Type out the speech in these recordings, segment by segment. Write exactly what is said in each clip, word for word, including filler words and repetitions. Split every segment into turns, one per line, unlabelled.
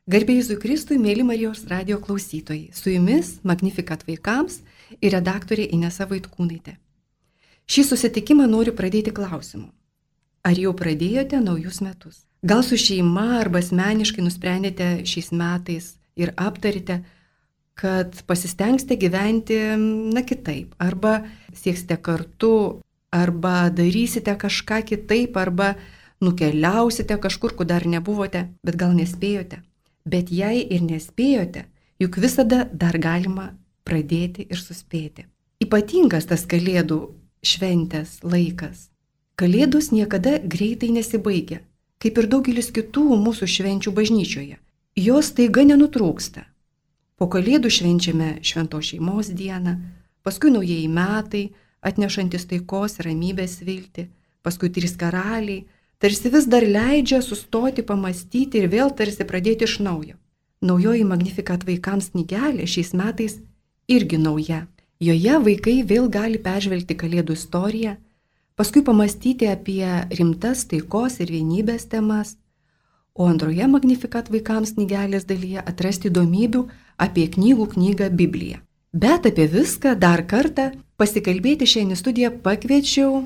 Garbė Jėzui Kristui, mėly Marijos radijo klausytojai, su jumis Magnificat vaikams ir redaktorė Inesa Vaitkūnaitė. Šį susitikimą noriu pradėti klausimu. Ar jau pradėjote naujus metus? Gal su šeima arba asmeniškai nusprendėte šiais metais ir aptarite, kad pasistengsite gyventi, na, kitaip, arba sieksite kartu, arba darysite kažką kitaip, arba nukeliausite kažkur, kur dar nebuvote, bet gal nespėjote. Bet jei ir nespėjote, juk visada dar galima pradėti ir suspėti. Ypatingas tas Kalėdų šventės laikas. Kalėdos niekada greitai nesibaigia, kaip ir daugelis kitų mūsų švenčių bažnyčioje. Jos taiga nenutrūksta. Po Kalėdų švenčiame Šventos šeimos dieną, paskui naujieji metai, atnešantis taikos ir ramybės viltį, paskui trys karaliai, tarsi vis dar leidžia sustoti, pamastyti ir vėl tarsi pradėti iš naujo. Naujoji Magnificat vaikams knygelė šiais metais irgi nauja. Joje vaikai vėl gali peržvelgti Kalėdų istoriją, paskui pamastyti apie rimtas taikos ir vienybės temas, o antroje Magnificat vaikams knygelės dalyje atrasti įdomybių apie knygų knygą Bibliją. Bet apie viską dar kartą pasikalbėti šiandien į studiją pakviečiau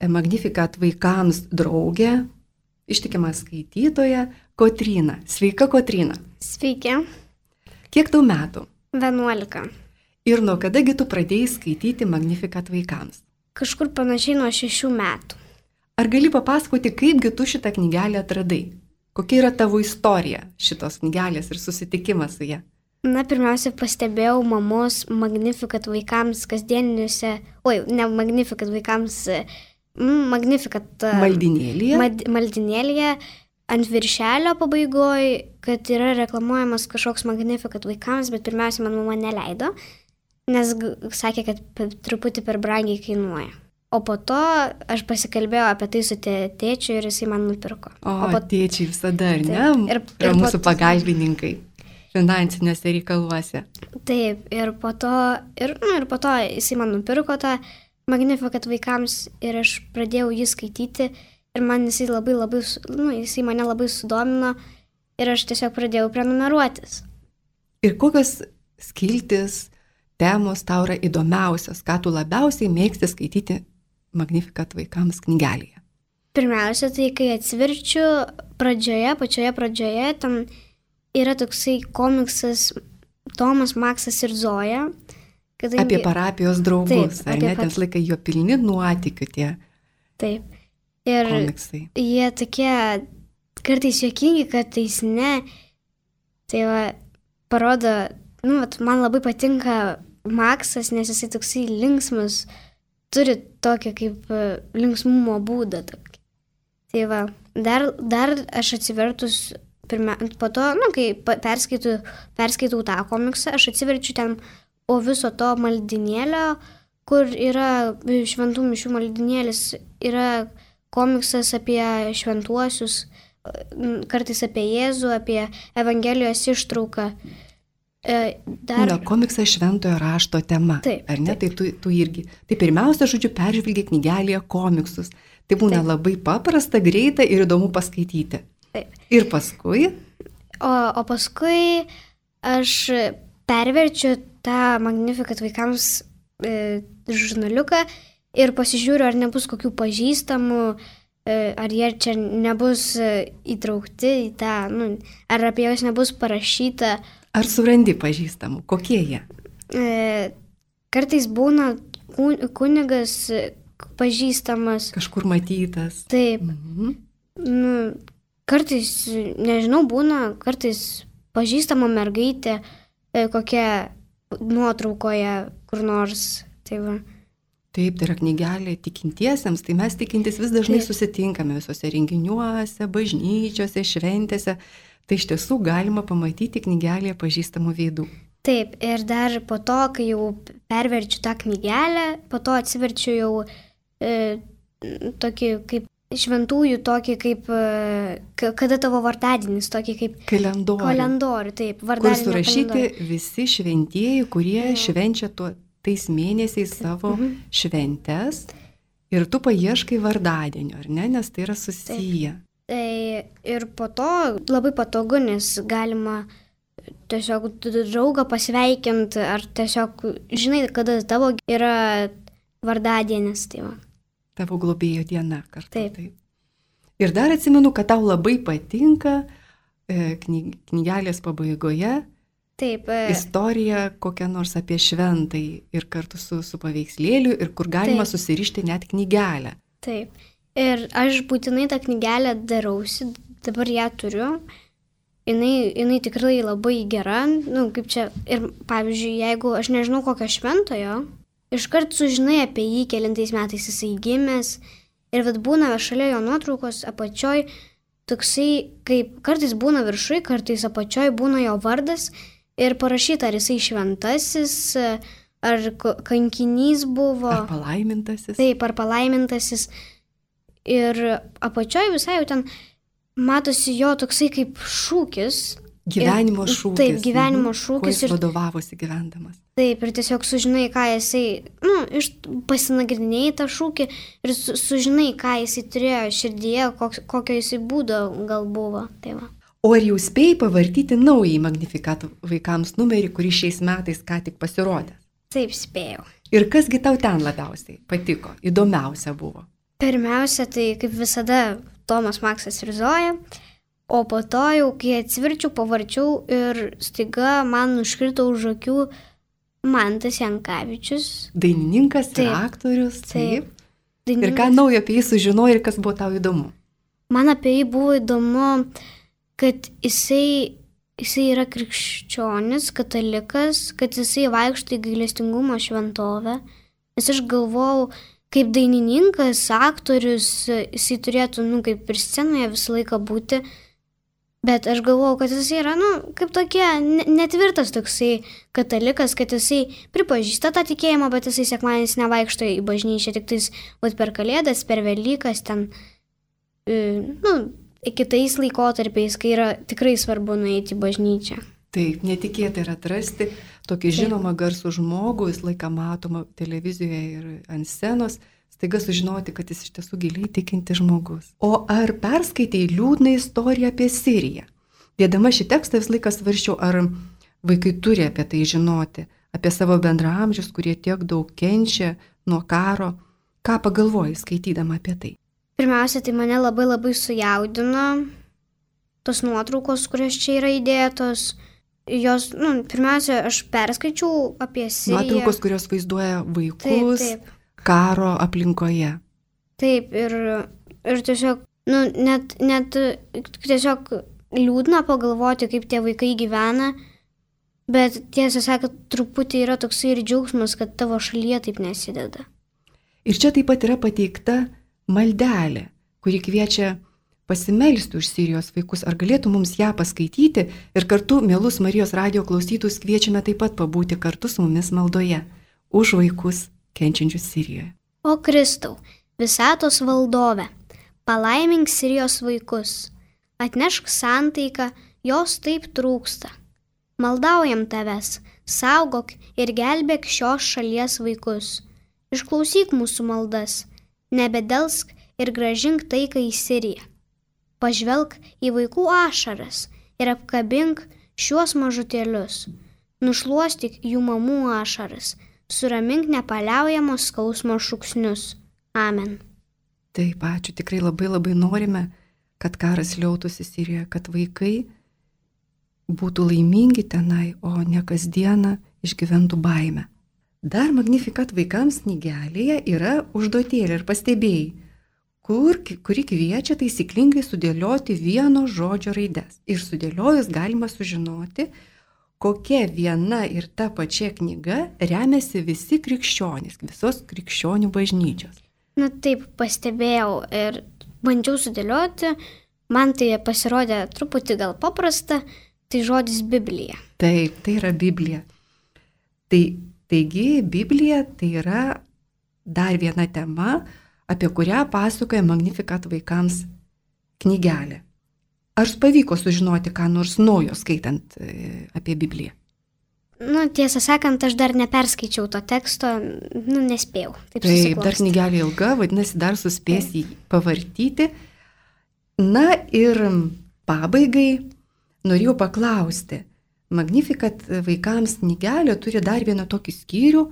Magnificat vaikams draugę, ištikimą skaitytoją Kotryną. Sveika, Kotryna.
Sveiki.
Kiek tau metų?
vienuolika.
Ir nuo kadagi tu pradėjai skaityti Magnificat vaikams?
Kažkur panašiai nuo šešių metų.
Ar gali papasakoti, kaipgi tu šitą knygelę atradai? Kokia yra tavo istorija šitos knygelės ir susitikimas su ja?
Na, pirmiausia, pastebėjau mamos Magnificat vaikams kasdieniniuose, oi, ne Magnificat vaikams, Magnificat
maldinėlėje.
Mad, maldinėlėje ant viršelio pabaigoje, kad yra reklamuojamas kažkoks Magnificat vaikams, bet pirmiausia, man mama neleido, nes sakė, kad truputį per brangiai kainuoja. O po to aš pasikalbėjau apie tai su tėčiu ir jisai man nupirko.
O,
o po...
tėčiai visada, ar ne?
Taip, ir,
yra
ir
mūsų
po...
pagalbininkai finansinėse reikaluose.
Taip, ir po to, ir, nu, ir po to jisai man nupirko tą Magnificat vaikams ir aš pradėjau jį skaityti ir man jisai labai labai, nu, jisai mane labai sudomino ir aš tiesiog pradėjau prenumeruotis.
Ir kokios skiltis, temos tau yra įdomiausios, ką tu labiausiai mėgsti skaityti Magnificat vaikams knygelėje?
Pirmiausia, tai kai atsiverčiu pradžioje, pačioje pradžioje, ten yra toksai komiksas Tomas, Maksas ir Zoja. Kadangi...
Apie parapijos draugus,
taip,
ar ne?
Pat...
Ten laikai jo pilni nuotykių tie
taip. Ir
komiksai.
Jie tokie kartais juokingi, kartais ne. Tai va, parodo, nu, vat, man labai patinka Maksas, nes jisai toksai linksmas, turi tokį kaip linksmumo būdą. Tokį. Tai va, dar, dar aš atsivertus, pirmia, po to, nu, kai perskaitau, perskaitau tą komiksą, aš atsiverčiu ten o viso to maldinėlio, kur yra šventų mišių maldinėlis, yra komiksas apie šventuosius, kartais apie Jėzų, apie Evangelijos ištrauką. Dar...
Na, komiksas šventojo rašto tema,
taip,
ar ne?
Taip.
Tai tu, tu irgi. Tai pirmiausia, žodžiu, peržvelgi knygelėje komiksus. Tai būna taip. Labai paprasta, greita ir įdomu paskaityti.
Taip.
Ir paskui?
O, o paskui aš perverčiu tą Magnificat vaikams e, žurnaliuką ir pasižiūriu, ar nebus kokių pažįstamų, e, ar jie čia nebus e, įtraukti į tą, nu, ar apie juos nebus parašyta.
Ar surandi pažįstamų? Kokie jie?
E, kartais būna kunigas pažįstamas.
Kažkur matytas.
Taip.
Mhm.
Nu, kartais, nežinau, būna, kartais pažįstama mergaitė, e, kokia nuotraukoje kur nors. Tai va.
Taip, tai yra knygelė tikintiesiems, tai mes tikintis vis dažnai
Taip.
susitinkame visose renginiuose, bažnyčiose, šventėse. Tai iš tiesų galima pamatyti knygelėje pažįstamų veidų.
Taip, ir dar po to, kai jau perverčiu tą knygelę, po to atsiverčiu jau e, tokį kaip šventųjų, tokį kaip, e, kada tavo vardadienis, tokį kaip
kalendorių.
Kalendorių, taip,
kur
vardadienio
surašyti
kalendorių.
Visi šventieji, kurie
Jo.
švenčia tuo, tais mėnesiais savo
Mhm.
šventes. Ir tu paieškai vardadienio, ar ne, nes tai yra susiję.
Tai ir po to labai patogu, nes galima tiesiog draugą pasveikinti, ar tiesiog žinai, kada tavo yra vardadienis. Tai va.
Tavo globėjo diena kartu.
Taip.
taip. Ir dar atsimenu, kad tau labai patinka e, knyg, knygelės pabaigoje
Taip. E,
istorija kokia nors apie šventai ir kartu su, su paveikslėliu ir kur galima
Taip.
susirišti net knygelę.
Taip. Ir aš būtinai tą knygelę darausi, dabar ją turiu. Jinai, jinai tikrai labai gera. Nu, kaip čia. Ir pavyzdžiui, jeigu aš nežinau kokio šventojo, iškart sužinai apie jį, kelintais metais jisai gimęs. Ir vat būna šalia jo nuotraukos apačioj, toksai, kaip kartais būna viršui, kartais apačioj būna jo vardas ir parašyta, ar jisai šventasis, ar kankinys buvo.
Ar palaimintasis.
Taip, ar palaimintasis. Ir apačioj visai jau ten matosi jo toksai kaip šūkis.
Gyvenimo
ir,
šūkis.
Taip, gyvenimo
mhm.
šūkis.
Kuo jis
ir
vadovavosi gyvendamas.
Taip, ir tiesiog sužinai, ką jisai, nu, iš pasinagrinėjai tą šūkį ir su, sužinai, ką jisai turėjo širdyje, koks, kokio jisai būdo gal buvo. Tai va.
O ar jau spėjai pavartyti naująjį Magnificat vaikams numerį, kuris šiais metais ką tik pasirodė?
Taip, spėjau.
Ir kasgi tau ten labiausiai patiko, įdomiausia buvo?
Pirmiausia, tai kaip visada Tomas Maksas Rizoja, o po to jau, kai atsiverčiau, pavarčiau ir staiga man užkrito už akių Mantas Jankavičius.
Dainininkas
Taip.
ir aktorius. Taip.
Taip.
Ir ką naujo apie jį sužinojai ir kas buvo tau įdomu?
Man apie jį buvo įdomu, kad jisai, jisai yra krikščionis, katalikas, kad jisai vaikšto į gailestingumo šventovę. Nes aš galvojau, kaip dainininkas, aktorius, jisai turėtų, nu, kaip ir scenoje visą laiką būti. Bet aš galvojau, kad jisai yra, nu, kaip tokia netvirtas toksai katalikas, kad jisai pripažįsta tą tikėjimą, bet jisai sekmadienis nevaikšto į bažnyčią, tik tais vat, per Kalėdas, per Velykas, ten, nu, kitais laikotarpiais, kai yra tikrai svarbu nueiti į bažnyčią.
Taip, netikėtai yra atrasti tokį žinomą garsų žmogų, jis laiką matomą televizijoje ir ant scenos, staiga sužinoti, kad jis iš tiesų giliai tikinti žmogus. O ar perskaitei liūdną istoriją apie Siriją? Dėdama šį tekstą vis laiką svarsčiau, ar vaikai turi apie tai žinoti, apie savo bendraamžius, kurie tiek daug kenčia nuo karo. Ką pagalvojai skaitydama apie tai?
Pirmiausia, tai mane labai labai sujaudino tos nuotraukos, kurios čia yra įdėtos. Jos, nu, pirmiausia, aš perskaičiau apie Siriją.
Nuotraukos, kurios vaizduoja vaikus.
Taip, taip.
Karo aplinkoje.
Taip, ir, ir tiesiog, nu, net, net tiesiog liūdna pagalvoti, kaip tie vaikai gyvena, bet tiesą sakant, truputį yra toksai ir džiaugsmas, kad tavo šalyje taip nesideda.
Ir čia taip pat yra pateikta maldelė, kuri kviečia pasimelsti už Sirijos vaikus. Ar galėtų mums ją paskaityti ir kartu, mielus Marijos radijo klausytus, kviečiame taip pat pabūti kartu su mumis maldoje už vaikus kenčiančius Sirijoje.
O Kristau, visatos valdove, palaimink Sirijos vaikus, atnešk santaiką, jos taip trūksta. Maldaujam tavęs, saugok ir gelbėk šios šalies vaikus. Išklausyk mūsų maldas, nebedelsk ir grąžink taiką į Siriją. Pažvelk į vaikų ašaras ir apkabink šiuos mažutėlius. Nušluostyk jų mamų ašaras. Suramink nepaliaujamos skausmo šūksnius. Amen.
Taip, ačiū. Tikrai labai labai norime, kad karas liautųsi Sirijoje, kad vaikai būtų laimingi tenai, o ne kasdieną išgyventų baimę. Dar Magnificat vaikams knygelėje yra užduotėlė ir pastebėjai, kur, kuri kviečia taisyklingai sudėlioti vieno žodžio raides. Ir sudėliojus galima sužinoti, kokia viena ir ta pačia knyga remiasi visi krikščionys, visos krikščionių bažnyčios.
Na taip, pastebėjau ir bandžiau sudėlioti, man tai pasirodė truputį gal paprasta, tai žodis Biblija.
Taip, tai yra Biblija. Tai, taigi, Biblija tai yra dar viena tema, apie kurią pasakoja Magnificat vaikams knygelė. Ar pavyko sužinoti, ką nors naujo skaitant apie Bibliją?
Nu, tiesą sakant, aš dar neperskaičiau to teksto, nu, nespėjau. Taip,
Taip, dar knygelė ilga, vadinasi, dar suspės jį pavartyti. Na ir pabaigai norėjau paklausti. Magnificat vaikams knygelė turi dar vieną tokį skyrių,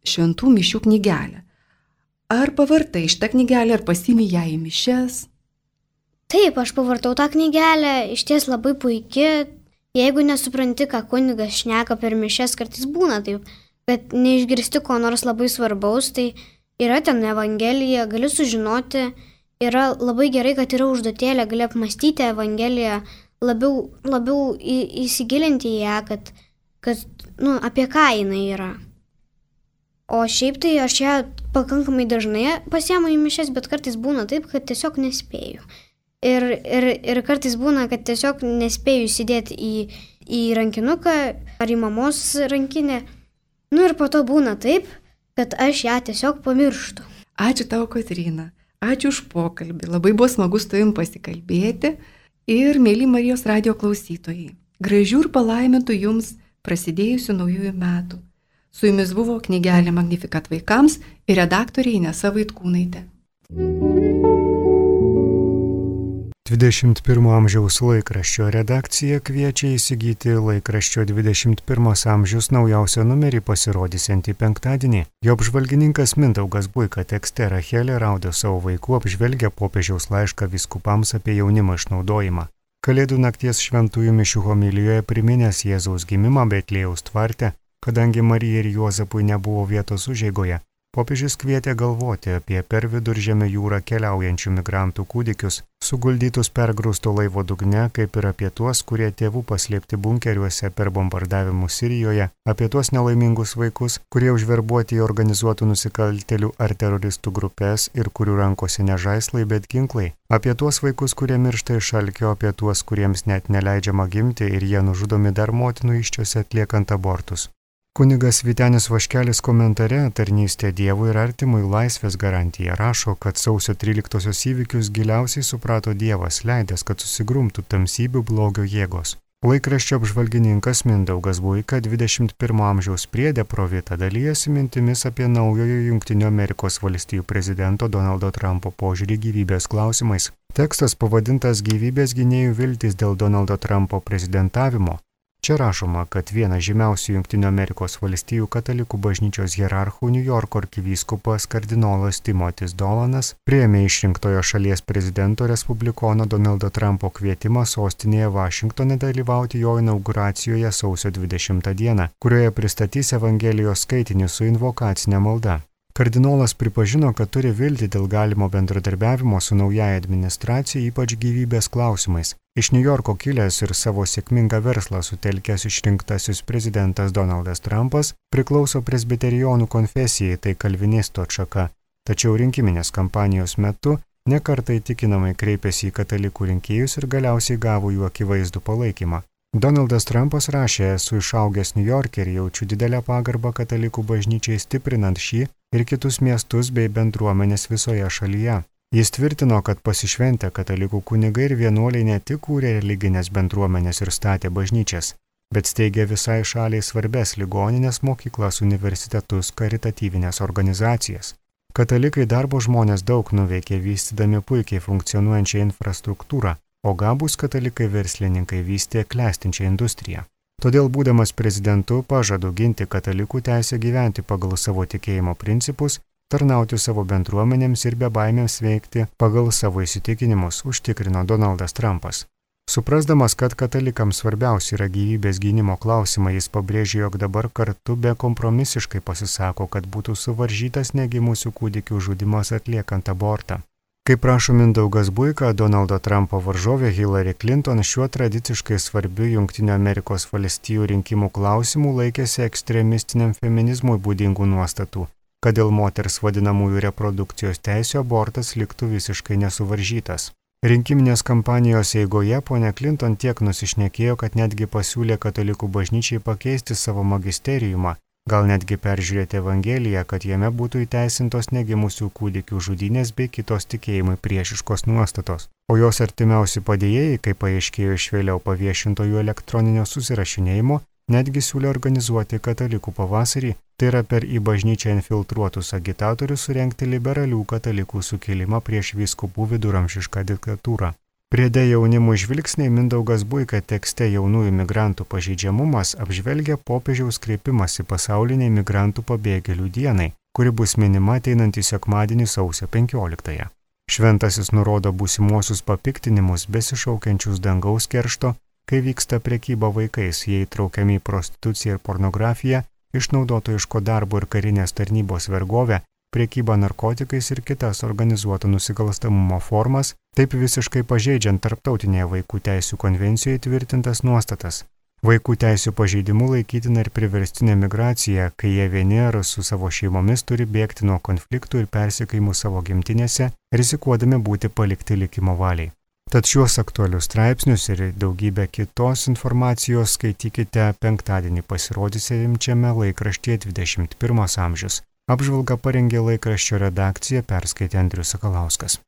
šventų mišių knygelę. Ar pavartai šitą knygelę, ar pasiimi ją į mišias?
Taip, aš pavartau tą knygelę, iš ties labai puikia. Jeigu nesupranti, ką kunigas šneka per mišias, kartais būna taip, kad neišgirsti ko nors labai svarbaus, tai yra ten evangelija, gali sužinoti, yra labai gerai, kad yra užduotėlė, gali apmastyti evangeliją, labiau, labiau į, įsigilinti į ją, kad, kad nu, apie ką jinai yra. O šiaip tai aš ją pakankamai dažnai pasiemu į mišias, bet kartais būna taip, kad tiesiog nespėju. Ir, ir, ir kartais būna, kad tiesiog nespėju įsidėti į, į rankinuką ar į mamos rankinę. Nu ir po to būna taip, kad aš ją tiesiog pamirštu.
Ačiū tau, Kotryna. Ačiū už pokalbį. Labai buvo smagu su tavim pasikalbėti. Ir, mėly Marijos radijo klausytojai, gražių ir palaimintų jums prasidėjusių naujųjų metų. Su jumis buvo knygelė Magnificat vaikams ir redaktorė Inesa Vaitkūnaitė.
dvidešimt pirmo amžiaus laikraščio redakcija kviečia įsigyti laikraščio dvidešimt pirmas amžius naujausią numerį pasirodysiantį penktadienį. Jo apžvalgininkas Mindaugas Buika tekste Rachelė Raudė savo vaikų apžvelgia popiežiaus laišką vyskupams apie jaunimo išnaudojimą. Kalėdų nakties šventųjų mišių homilijoje priminęs Jėzaus gimimą Betliejaus tvarte, kadangi Marijai ir Juozapui nebuvo vietos užeigoje. Popiežius kvietė galvoti apie per Viduržemio jūrą keliaujančių migrantų kūdikius, suguldytus pergrūsto laivo dugne, kaip ir apie tuos, kurie tėvų paslėpti bunkeriuose per bombardavimus Sirijoje, apie tuos nelaimingus vaikus, kurie užverbuoti į organizuotų nusikaltėlių ar teroristų grupės ir kurių rankose ne žaislai, bet ginklai, apie tuos vaikus, kurie miršta iš alkio, apie tuos, kuriems net neleidžiama gimti ir jie nužudomi dar motinų įsčiose atliekant abortus. Kunigas Vytenis Vaškelis komentare Tarnystė Dievui ir artimui laisvės garantija rašo, kad sausio tryliktosios įvykius giliausiai suprato Dievas, leidęs, kad susigrumtų tamsybių blogio jėgos. Laikraščio apžvalgininkas Mindaugas Buika dvidešimt pirmo amžiaus priede Provita dalyjasi mintimis apie naujojo Jungtinių Amerikos valstijų prezidento Donaldo Trumpo požiūrį gyvybės klausimais. Tekstas pavadintas Gyvybės gynėjų viltys dėl Donaldo Trumpo prezidentavimo. Čia rašoma, kad vienas žymiausių Jungtinių Amerikos valstijų katalikų bažnyčios hierarchų New Yorko arkivyskupas kardinolas Timotis Dolanas priėmė išrinktojo šalies prezidento respublikono Donaldo Trumpo kvietimą sostinėje Vašingtone dalyvauti jo inauguracijoje sausio dvidešimtą dieną, kurioje pristatys Evangelijos skaitinį su invokacinė malda. Kardinolas pripažino, kad turi viltį dėl galimo bendradarbiavimo su naujaja administracija, ypač gyvybės klausimais. Iš New Yorko kilęs ir savo sėkmingą verslą sutelkęs išrinktasis prezidentas Donaldas Trumpas priklauso presbiterionų konfesijai, tai kalvinistų atšaka. Tačiau rinkiminės kampanijos metu nekartą įtikinamai kreipėsi į katalikų rinkėjus ir galiausiai gavo jų akivaizdų palaikymą. Donaldas Trumpas rašė, esu išaugęs New Yorke ir jaučiu didelę pagarbą katalikų bažnyčiai stiprinant šį ir kitus miestus bei bendruomenės visoje šalyje. Jis tvirtino, kad pasišventę katalikų kunigai ir vienuoliai ne tik kūrė religinės bendruomenės ir statė bažnyčias, bet steigė visai šaliai svarbes ligoninės, mokyklas, universitetus, karitatyvinės organizacijas. Katalikai darbo žmonės daug nuveikė vystydami puikiai funkcionuojančią infrastruktūrą, o gabūs katalikai verslininkai vystė klestinčią industriją. Todėl, būdamas prezidentu, pažadu ginti katalikų teisę gyventi pagal savo tikėjimo principus, tarnauti savo bendruomenėms ir be baimėms veikti pagal savo įsitikinimus, užtikrino Donaldas Trumpas. Suprasdamas, kad katalikams svarbiausia yra gyvybės gynimo klausimai, jis pabrėžė, jog dabar kartu bekompromisiškai pasisako, kad būtų suvaržytas negimusių kūdikių žudimas atliekant abortą. Kaip prašo Mindaugas Buika, Donaldo Trumpo varžovė Hillary Clinton šiuo tradiciškai svarbiu Jungtinių Amerikos valstijų rinkimų klausimų laikėsi ekstremistiniam feminizmui būdingų nuostatų, kad dėl moters vadinamųjų reprodukcijos teisių abortas liktų visiškai nesuvaržytas. Rinkiminės kampanijos eigoje ponia Clinton tiek nusišnekėjo, kad netgi pasiūlė katalikų bažnyčiai pakeisti savo magisteriumą, gal netgi peržiūrėti Evangeliją, kad jame būtų įteisintos negimusių kūdikių žudynės bei kitos tikėjimui priešiškos nuostatos. O jos artimiausi padėjėjai, kaip paaiškėjo iš vėliau paviešintojų elektroninio susirašinėjimo, netgi siūlė organizuoti katalikų pavasarį, tai yra per į bažnyčią infiltruotus agitatorius surengti liberalių katalikų sukilimą prieš vyskupų viduramžišką diktatūrą. Priede jaunimų žvilgsniai Mindaugas Buika tekste jaunųjų migrantų pažeidžiamumas apžvelgia popiežiaus kreipimąsi pasauliniai migrantų pabėgėlių dienai, kuri bus minima ateinantį sekmadienį sausio penkioliktąją. Šventasis nurodo būsimuosius papiktinimus besišaukiančius dangaus keršto, kai vyksta prekyba vaikais, jie įtraukiami į prostituciją ir pornografiją, išnaudotojiško darbo ir karinės tarnybos vergovę, prekybą narkotikais ir kitas organizuoto nusikalstamumo formas, taip visiškai pažeidžiant tarptautinėje vaikų teisių konvencijoje tvirtintas nuostatas. Vaikų teisių pažeidimų laikytina ir priverstinė migracija, kai jie vieni ar su savo šeimomis turi bėgti nuo konfliktų ir persekiojimų savo gimtinėse, rizikuodami būti palikti likimo valiai. Tad šiuos aktualius straipsnius ir daugybę kitos informacijos skaitykite penktadienį pasirodysiančiame laikraštyje dvidešimt pirmas amžius. Apžvalgą parengė laikraščio redakcija, perskaitė Andrius Sakalauskas.